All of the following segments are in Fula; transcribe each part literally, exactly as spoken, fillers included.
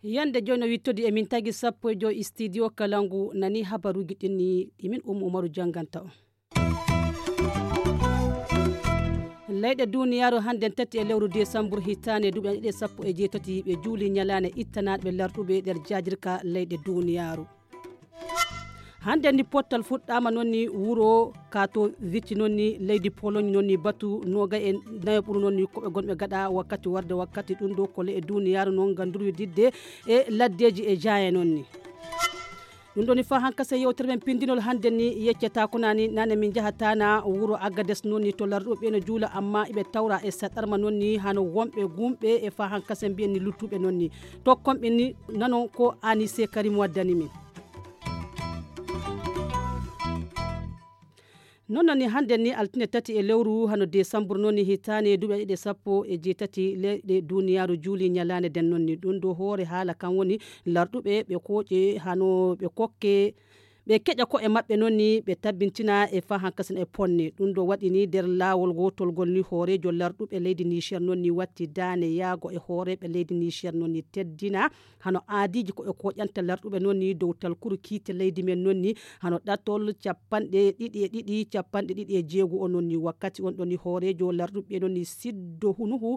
Yande jooni no wittodi e min tagi sappo e joy studio Kalangu nani habaruuji ɗin ni ɗi min Ummu Umaru jannganta on. Leyɗe duniyaaru hannden tati e lewru desambur hitaande duuɓi ɗiɗi e sappo e jeetati ɓe juuli ñalaande ittanaaɗe ɓe larɗuɓe nder jaajirka leyɗe duniyaaru. Hannde ni pottal fuɗɗaama noon ni wuro Katowice noon ni leydi Pologne noon ni batu noogay e nayo ɓuru noon ni ko ɓe gonɓe gaɗa wakkati warde wakkati ɗum ɗo ko leyɗe duniyaaru noon ngam durwi didde e laddeeji e jaaye noon ni. Ɗum ɗo ni fa hankase yewtere men pindinol hannde ni yeccata ko nani nane min njahata na wuro Agades noon ni to larɗuɓe no juula amma iɓe tawra e saɗarma noon ni hano wonɓe gumɓe e fa hankase mbiyen ni luttuɓe noon ni tokkon ɓe ni nanon ko Anise Karim waddani min. Noon noon ni hannde ni altine tati e lewru hano desambur noon ni hitaande duuɓi ɗiɗi e sappo e jeetati leyɗe duniyaaru juuli ñalaande nden noon ni ɗum ɗo hoore haala kan woni larɗuɓe ɓe kooƴe hano ɓe kokke ɓe keƴa ko'e maɓɓe noon ni ɓe tabbintina e fa hankasen e ponne ɗum ɗo waɗi ni nder laawol gootolgol ni hooreejo larɗuɓe leydi Niger noon ni watti daane yaago e hooreeɓe leydi Niger noon ni teddina hano aadiiji ko e koƴanta larɗuɓe noon ni dow talkuru kiite leydi men noon ni hano ɗatol capanɗe ɗiɗi e ɗiɗi capanɗe ɗiɗi e jeego o noon ni wakkati on ɗon ni hooreejo larɗuɓe noon ni siddo hunuhu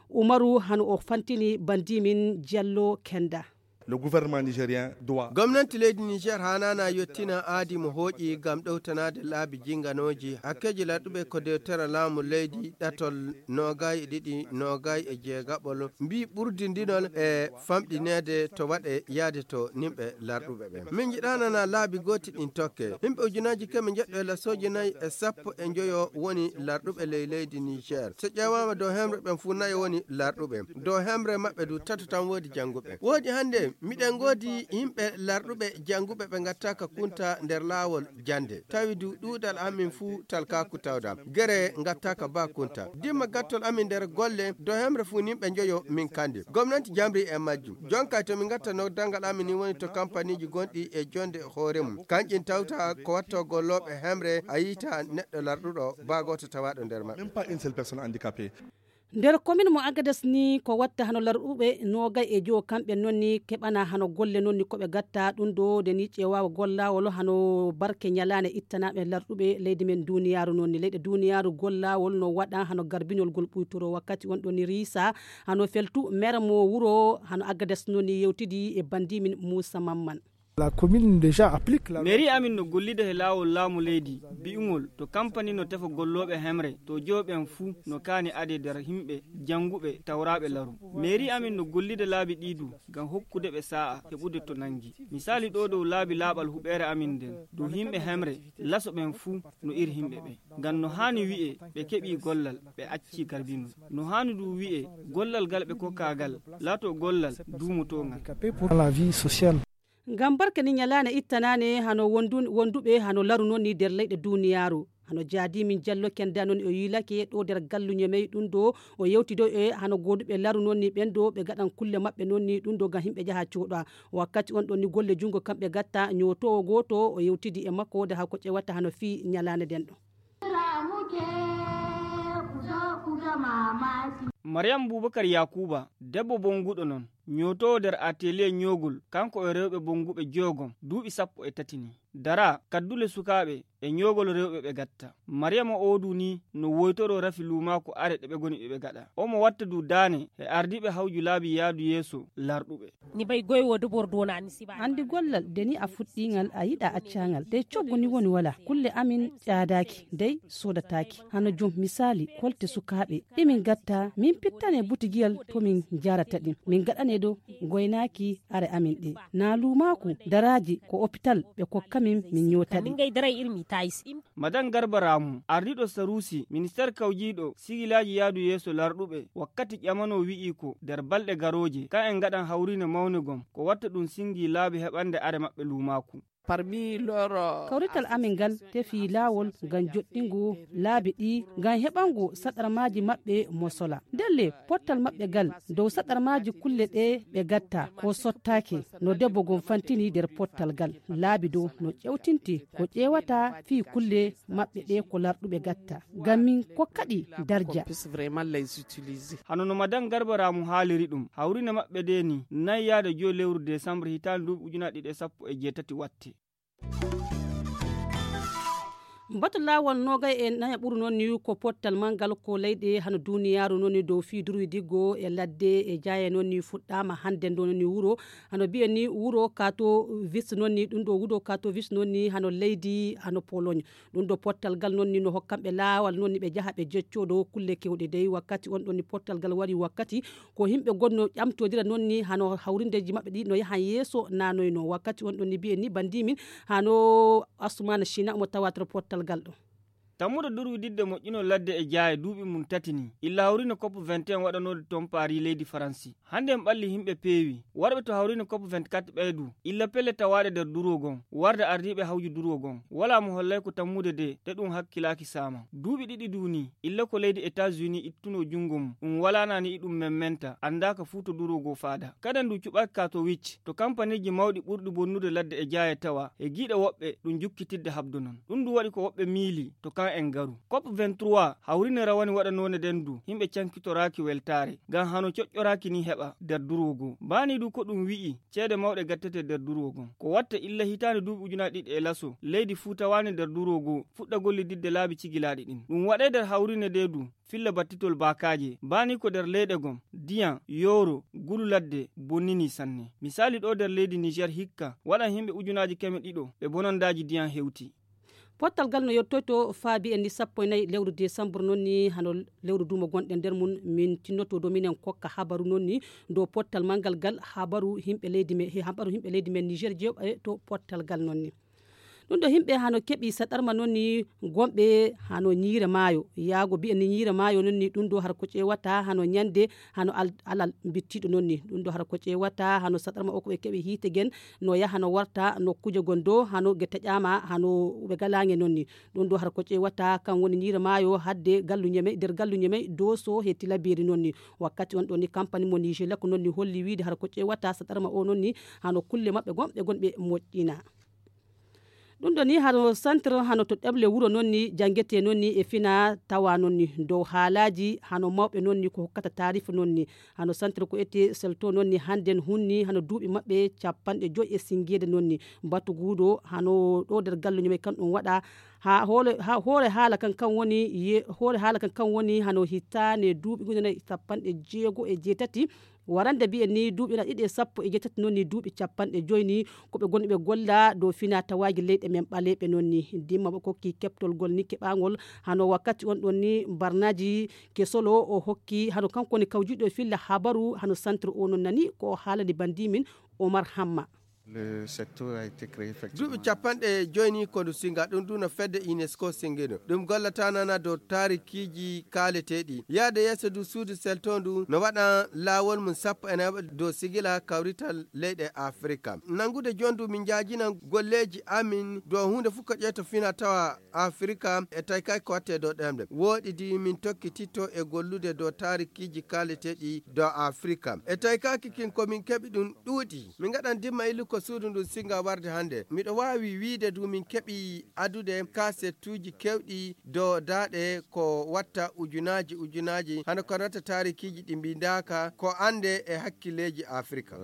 umaru hano o fantini bandimin jallo kenda. Le gouvernement nigérien doit gomnanti leydi niger hanana yettina aadi mo hooƴi ngam ɗowtanaade laabi jinganooji hakkeeji larɗuɓe ko dewtere laamu leydi ɗatol noogay e ɗiɗi noogay e jeegaɓol mbi ɓurdindinol e famɗineede to waɗe yaade to nimɓe larɗuɓe ɓen min njiɗanana laabi gooti ɗin tokke yimɓe ujunaaji keme njeɗɗo e lasooji nayi e sappo e njoyo woni larɗuɓe ley leydi niger so ƴeewaama dow hemre ɓen fuu nayo woni larɗuɓe dow hemre maɓɓe du tato tan woodi jannguɓe woodi hannde miɗen ngoodi yimɓe larɗuɓe jannguɓe ɓe ngattaaka kunta nder laawol jannde tawi du ɗuuɗal amin fuu talkaaku tawda gere ngattaaka ba kunta dimma gattol amin nder golle do hemre fuu nimɓe njoyo min kandi gomnanti jamri e majjum jonka to min ngatta noddangal amin ni woni to kampaniiji gonɗi e jonde hoore mum kanƴin tawta ko watto gollooɓe hemre a yiita neɗɗo larɗuɗo ba gooto tawaaɗo nder maɓɓe. Même pas une seule personne handicapée. Nder komin mo agadas ni ko watta hano larɗuɓe nogay e jowo kamɓe noon ni keɓana hano golle noon ni koɓe gatta ɗum ɗo nde ni ƴeewawa gollawol hano barke ñalaande ittanaɓe larɗuɓe leydi men duniyaaru noon ni leyɗe duniyaaru gollawol no waɗa hano garbinol ngol ɓuytoro wakkati on ɗo ni riisa hano feltu mere mo wuro hano agadas noon ni yewtidi e bandi min muusa mamman. La commune déjà applique la mairie amin no gollida he laawol laamu leydi bi'ugol to kampani no tefa gollooɓe hemre to jooɓen fuu no kaani ade nder yimɓe jannguɓe tawraaɓe laru mairie amin no gollida laabi ɗii du ngam hokkude ɓe saa'a heɓude to nanngi misaali ɗo dow laabi laaɓal huɓeere amin nden dow yimɓe hemre laso ɓen fuu no iri yimɓe ɓe ngam no haani wi'e ɓe keɓii gollal ɓe accii garbinol no haani du wi'e gollal ngal ɓe kokkaa ngal laatoo gollal duumotoo ngal. Ngam barke ni ñalaande ittanaane hano wonduɓe hano laru noon ni nder leyɗe duuniyaaru hano jaadi min jallo kenda noon o yiilake ɗo nder galluño mey ɗum ɗo o yewtido e hano gooduɓe laru noon ni ɓen ɗo ɓe gaɗan kulle maɓɓe noon ni ɗum ɗo ngam yimɓe jaha cuuɗa wakkati on ɗon ni golle junngo kamɓe gatta ñootowo gooto o yewtidi e makko nde hako ƴewata hano fii ñalaande nden ɗo. Mariyam bubakar yakuba debbo bonguɗo non ñootowo nder atelier ñoogol kanko e rewɓe bonguɓe joogom duuɓi sappo e tati ni dara kaddule sukaaɓe e ñoogol rewɓe ɓe gatta mariyama oodu ni no woytoro rafi luumaaku are ɗe ɓe goni ɓe ɓe gaɗa omo watta du daane e ardiiɓe hawju laabi yaadu yeeso larɗuɓe. Ni bay goy wo debor dona ni siba. Anndi gollal de ni a fuɗɗiingal a yiɗa accaangal dey coggu ni woni wala kulle amin ƴaadaaki dey soodataaki hano jom misaali kolte sukaaɓe ɗi min gatta min pittane butigiyal to min jarata ɗin min gaɗane ɗo goynaaki are amin ɗe na luumaaku daraaji ko opital ɓe kokka min min ñoota ɗi. Madan garba ramu ardiiɗo saruusi ministeer kawjiiɗo sigilaaji yaadu yeeso larɗuɓe wakkati ƴamano wi'i ko nder balɗe garooje ka en ngaɗan hawriine mawne gom ko watta ɗum singi laabi heɓande are maɓɓe luumaaku. Kawrital amin ngal tefii laawol ngam joɗɗingo laabi ɗi ngam heɓango saɗarmaaji maɓɓe mosola. Ndelle pottal maɓɓe ngal dow saɗarmaaji kulle ɗe ɓe gatta ko sottaaki no debbo gon fantini nder pottal ngal. Laabi dow no ƴewtinti ko ƴeewata fii kulle maɓɓe ɗe ko larɗuɓe gatta ngam min kokkaɗi darja. Hano no madan garba ramu haaliri ɗum hawrine maɓɓe de ni nay yaada joyi lewru desambre hitaande duuɓi ujunaaji ɗiɗi e sappo e jeetati watte. Batu laawol noogay e naya ɓuru noon ni ko pottal manngal ko leyɗe hano duuniyaaru noon ni dow fii durwi diggo e ladde e jaaye noon ni fuɗɗaama hannde ndo noon ni wuro hano biye ni wuro kato vis noon ni ɗum ɗo wuro kato vis noon ni hano leydi hano pologne. Ɗum ɗo pottal ngal noon ni no hokkanɓe laawal noon ni ɓe njaha ɓe jeccoo ɗo kulle kewɗe dey wakkati on ɗon ni pottal ngal wari wakkati ko yimɓe gonno ƴamtodira noon ni hano hawrindeeji maɓɓe ɗi no yahan yeeso nanoyno wakkati on ɗon ni mbiyen ni bandimin hano asumana china omo tawatoro pottal ngal ɗo. Tammude durwididde moƴƴinol ladde e jaaye duuɓi mum tati ni illa hawrino cop vingt et un waɗanoode toon paari leydi faransi. Hannde en ɓalli yimɓe peewi warɓe to hawrino cop vingt-quatre ɓeydu illa pelle tawaaɗe nder durwo gon warde ardiiɓe hawju durwo gon walaa mo hollay ko tammude de te ɗum hakkilaaki saama duuɓi ɗiɗi du ni illa ko leydi etats-unis ittunoo junngo mum ɗum walaanaani iɗum memmenta anndaaka fuu to durwo goo faada. Kaden du cuɓaaki ka to wicc to kampaniiji mawɗi ɓurɗi bonnude ladde e jaaye tawa e giiɗe woɓɓe ɗum jukkitidde habdo non. Ɗum du waɗi ko woɓɓe miili to kan en ngaru. Cop vingt-trois hawrine rawani waɗanoone nden du yimɓe cankitoraaki weltaare ngam hano coƴƴoraaki ni heɓa nder durwo goo. Baani du ko ɗum wi'i ceede mawɗe gattete nder durwo gon ko watta illa hitaande duuɓi ujunaaji ɗiɗi e laso leydi fuu tawaani nder durwo goo fuɗɗa gollididde laabi cigilaaɗi ɗin. Ɗum waɗay nder hawrine nde du filla battitol baakaaje baani ko nder leyɗe gom diyan yooro gulu ladde bonnini sanne. Misaali ɗo nder leydi niger hikka waɗan yimɓe ujunaaji keme ɗiɗo ɓe bonondaaji diyan hewti. Pottal ngal no yettoyto faa mbiyen ni sappo e nayi lewru desambur noon ni hano lewru duumo gonɗen nder mum min tinnoto dow minen kokka habaru noon ni dow pottal manngal ngal habaru yimɓe leydi men he habaru yimɓe leydi men niger jeeɓa e to pottal ngal noon ni. Ɗum ɗo yimɓe hano keɓi saɗarma noon ni gonɓe hano ñiire maayo yaago mbiyen ni ñiire maayo noon ni ɗum ɗo har ko ƴeewata hano ñande hano alal mbittiiɗo noon ni ɗum ɗo har ko ƴeewata hano saɗarma o ko ɓe keɓi hiite gen no yaha no warta nokkuuje gon dow hano ge taƴaama hano ɓe galaange noon ni. Ɗum ɗo har ko ƴeewata kan woni ñiire maayo hadde gallu ñemey nder gallu ñemey dooso he tilabeeri noon ni. Wakkati on ɗon ni kampani mo nigelak noon ni holli wiide har ko ƴeewata saɗarma o noon ni hano kulle maɓɓe gonɓe gonɓe moƴƴina. Ɗum ɗo ni hano centre hano to ɗeɓle wuro noon ni janngetee noon ni e fina tawa noon ni dow haalaaji hano mawɓe noon ni ko hokkata taarifa noon ni. Hano centre ko etee selto noon ni hannden hunni hano duuɓi maɓɓe cappanɗe joyi e sinngeede noon ni. Batuguuɗo hano ɗo nder galluño men kan ɗum waɗa haa hoore haala kan kan woni hoore haala kan kan woni hano hitaande duuɓi ujunere cappanɗe jeego e jeetati. Warande mbiyen ni duuɓi ena ɗiɗi e sappo e jeetati noon ni duuɓi cappanɗe joyi ni ko ɓe gonɗi ɓe golla dow fina tawaaji leyɗe men ɓaleeɓe noon ni. Ndimma ɓe kokki keɓtol ngol ni keɓaangol hano wakkati on ɗon ni mbarnaaji kesolo o hokki hano kanko woni kawjuɗo e filla habaru hano centre o noon nani ko o haalani bandimin omar hamma. Duuɓi capanɗe joyi ni ko ndu singa ɗum du no fedde unesco singino ɗum gollata nana dow taarikiiji kaaleteeɗi. Yaade yeeso du suudu selto ndu no waɗa laawol mum sappo e nayo dow sigila kawrital leyɗe afrika. Nanngude jondu min njaajina golleeji amin dow huunde fof ko ƴeeto fina tawa afrika e tawi kay ko watte dow ɗemɗe wooɗidi min tokkititto e gollude dow taarikiiji kaaleteeɗi dow afrika e tawi kaki kin ko min keɓi ɗum ɗuuɗi. Min ngaɗan dimma illu ko suudu ndun singa warde hannde miɗo waawi wiide du min keɓi adude kasettuuji kewɗi dow daaɗe ko watta ujunaaji ujunaaji hano ko natta taarikiiji ɗi mbindaaka ko annde e hakkilleeji afrika.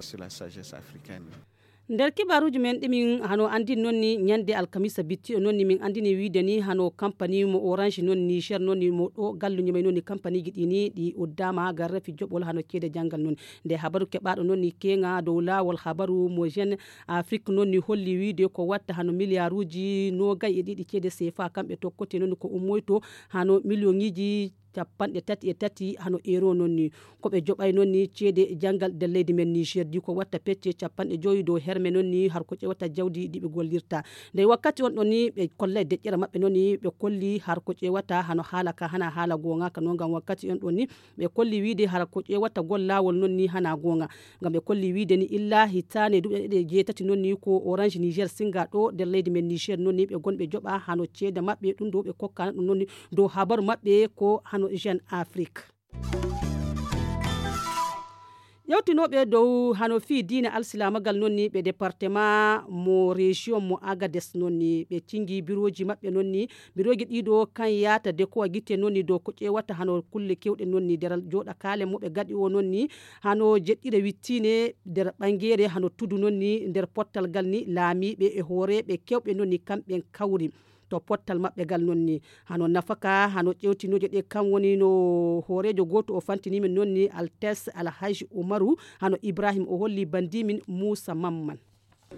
Nder kibaaruuji men ɗi min hano anndini noon ni ñande alkamisa bittiɗo noon ni min anndini wiide ni hano kampani mo orange noon niger noon ni mo ɗo galluño men noon ni kampaniiji ɗi ni ɗi uddaama garrafi joɓol hano ceede janngal noon. Nde habaru keɓaaɗo noon ni keŋa dow laawol habaru mo jeune afrique noon ni holli wiide ko watta hano miliyaaruuji noogay e ɗiɗi ceede sefa kamɓe tokkote noon ni ko ummoyto hano miliyoŋiiji. capanɗe tati e tati hano euro noon ni. Ko ɓe joɓay noon ni ceede janngal nder leydi men Niger di ko watta pecce capanɗe joyi dow herme noon ni har ko ƴewata jawdi ɗi ɓe gollirta. Ndey wakkati on ɗon ni ɓe kollay deƴƴere maɓɓe noon ni ɓe kolli har ko ƴewata hano haala ka hana haala goonga ka noon ngam wakkati on ɗon ni ɓe kolli wiide har ko ƴewata gol laawol noon ni hana goonga. Ngam ɓe kolli wiide ni illa hitaane duuɓi ɗe jeetati noon ni ko Orange Niger Singa ɗo nder leydi men Niger noon ni ɓe gonɓe joɓa hano ceede maɓɓe ɗum ɗo ɓe kokkana ɗum noon ni dow habaru maɓɓe ko hano Jeune Afrique. Ƴewtinooɓe dow hano fii diina alsilaamagal noon ni ɓe département mo région mo Agades noon ni ɓe cingi birooji maɓɓe noon ni birooji ɗiɗo kan yaata de ko a gite noon ni dow ko ƴeewata hano kulle kewɗe noon ni deral jooɗa kaale mo ɓe gaɗi o noon ni hano jeɗɗire wittiine nder ɓangeere hano tudu noon ni nder pottal gal ni laamiiɓe e hooreeɓe kewɓe noon ni kamɓen kawri to pottal maɓɓe gal noon ni hano nafaka hano ƴewtinooje ɗe kam woni no hooreejo gooto o fantini min noon ni altes alhaji umaru hano ibrahim o holli bandimin muusa mamman.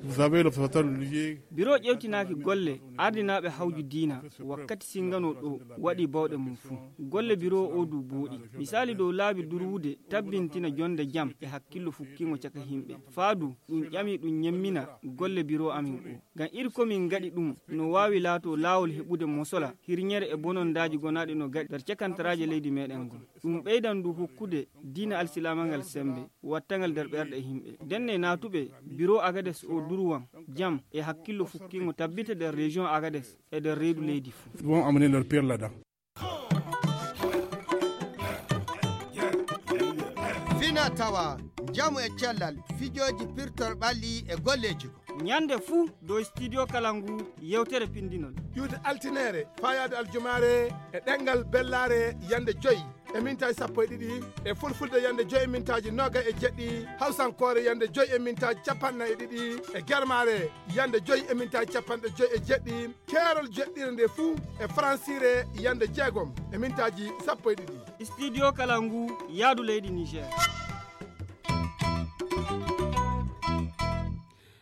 Vous avez le fatal lié. Biro ƴewtinaaki golle ardinaaɓe hawju diina wakkati singano ɗo waɗi bawɗe mum fuu. Golle biro o du booɗi misali dow laabi durwude tabbintina jonde jam e hakkillo fukkingo caka himɓe faadu ɗum ƴami ɗum ñemmina golle biro amin o. Ngam iri ko min ngaɗi ɗum no waawi laato laawol heɓude mosola hirñere e bonondaaji gonaaɗi no gaɗi nder cakantaraaje leydi meɗen ngon. Ɗum ɓeydan ndu hokkude diina alsilaama ngal semmbe wattangal nder ɓerɗe yimɓe. Ndenne naatuɓe biro agades o durwan jam e hakkillo fukkingo tabbita nder région agades e nder reedu leydi fuu. Ils vont amener leur pierre là-dedans. Fina tawa njamu e cellal fijooji pirtor ɓalli e golleeji go. Ñande fuu dow studio kala ngu yewtere pindinol. Ƴuwde altineere faayaade aljumaare e ɗemngal bellaare yande joyi e mintaaji sappo e ɗiɗi, e fulfulde yande joyi e mintaaji noogay e jeɗɗi, hawsankoore yande joyi e mintaaji capanɗe nayi e ɗiɗi, e germaare yande joyi e mintaaji capanɗe joyi e jeɗɗi, keerol jeɗɗire nde fuu e faransiire yande jeegom e mintaaji sappo e ɗiɗi. Studio kala ngu yaadu leydi Niger.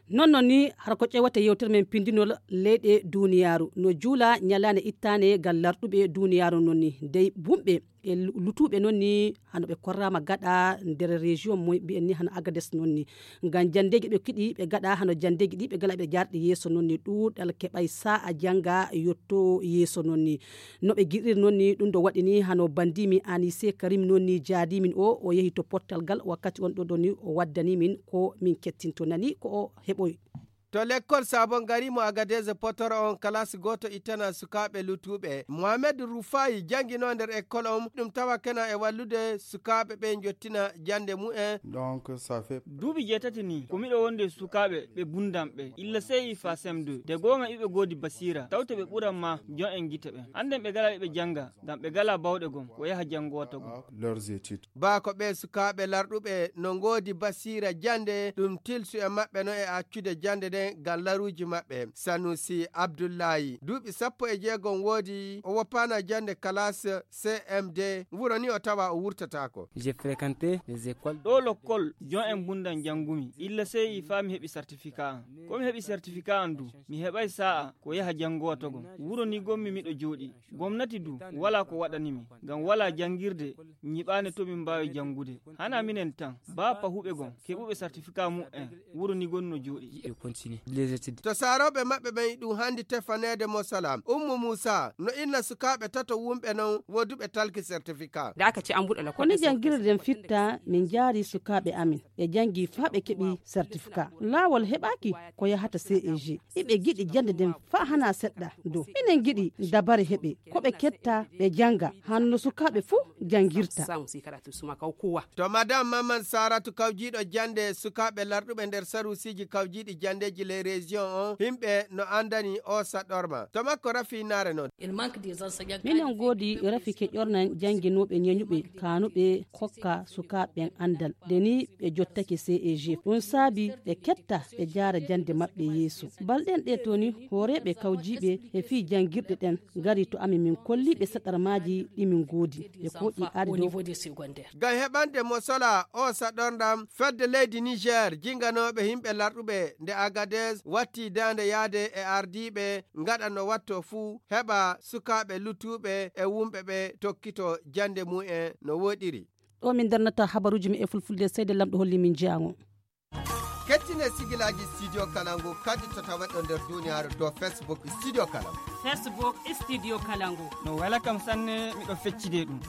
Non non ni har ko ƴewata yewtere men pindinol leyɗe duniyaaru no juula ñalaande ittaane ngal larɗuɓe duniyaaru non ni dey bumɓe e lutuuɓe non ni hano ɓe korraama gaɗa nder région mo mbiyen ni hano agades non ni ngam janndeeji ɓe kiɗi ɓe gaɗa hano janndeeji ɗi ɓe gala ɓe jarɗi yeeso non ni ɗuuɗal keɓay sa'a jannga yotto yeeso non ni no ɓe giɗiri non ni ɗum ɗo waɗi ni hano bandimi anise karim non ni jaadimin o o yehi to pottal gal wakkati on ɗo ɗo ni o waddani min ko min kettinto nani ko o heɓoy. To lekkol sabon gari mo agadeze potoro on kalas goto ittana sukaaɓe lutuuɓe mohamed rufayi janginoo nder ekkol on ɗum tawa kena e wallude sukaaɓe ɓe jottina jannde mumen. Donc ça fait duuɓi jeetati ni ko miɗo wonde sukaaɓe ɓe bundamɓe illa sey fa sem deux de goonga iɓe goodi basiira tawte ɓe ɓuran ma jon en gite ɓen annden ɓe gala ɓe jannga ngam ɓe gala bawɗe gom ko yaha janngoota gom. Leurs études. Baa ko ɓee sukaaɓe larɗuɓe no ngoodi basiira jannde ɗum tilsu e maɓɓe no e accude jannde nden ngam laruuji maɓɓe. Sanusi Abdullahi duuɓi sappo e jeegom woodi o woppaana jannde kalaas C M D wuro ni o tawa o wurtataako. J'ai fréquenté les écoles. Ɗo lokkol jon en mbundan janngumi illa sey faa mi heɓi certificat an ko mi heɓi certificat an du mi heɓay sa'a ko yaha janngowa togon wuro ni gommi miɗo jooɗi gomnati du wala ko waɗanimi ngam wala janngirde nyiɓaande to min mbaawi janngude hana minen tan baa pahuɓe gon keɓuɓe certificat mumen wuro ni gon no jooɗi. To saarooɓe maɓɓe ɓen ɗum hanndi tefaneede mo salam ummu muusa no inna sukaaɓe tato wumɓe non woduɓe talki certificat. Ko ni janngirde nden fitta min njaari sukaaɓe amin ɓe janngi faa ɓe keɓi certificat laawol heɓaaki ko yahata ceg. Iɓe giɗi jannde nden faa hanaa seɗɗa do enen giɗi dabare heɓe ko ɓe ketta ɓe jannga hanno sukaaɓe fuu janngirta. To madame maman saratu kawjiiɗo jannde sukaaɓe larɗuɓe nder saruusiiji kawjiiɗi janndeeji ley région on himɓe no anndani o saɗorma to makko rafi naare non. Minen ngoodi rafi keƴornan jannginooɓe ñeñuɓe kaanuɓe kokka sukaaɓe ɓen anndal de ni ɓe jottake ceg ɗum saabi ɓe ketta ɓe jaara jannde maɓɓe yeeso balɗen ɗe to ni hooreeɓe kawjiiɓe e fii janngirɗe ɗen ngari to amin min kolliiɓe saɗarmaaji ɗi min ngoodi ɓe kooƴi ari dow. Ngam heɓande mo sola o saɗorndam fedde leydi niger jinganooɓe yimɓe larɗuɓe nde agadi. Des watti daande yaade e ardiiɓe ngaɗa no watto fuu heɓa sukaaɓe luttuɓe e wumɓe ɓe tokkito jannde mumen no woɗiri. Ɗo min darnata habaruuji men e fulfulde, seyde Lamɗo holli min jeyango. Kettine sigilaaji Studio Kalangu kadi to taweɗo nder duniyaaru dow Facebook Studio Kalangu. Facebook Studio Kalangu. No wela kam sanne, miɗo feccide ɗum.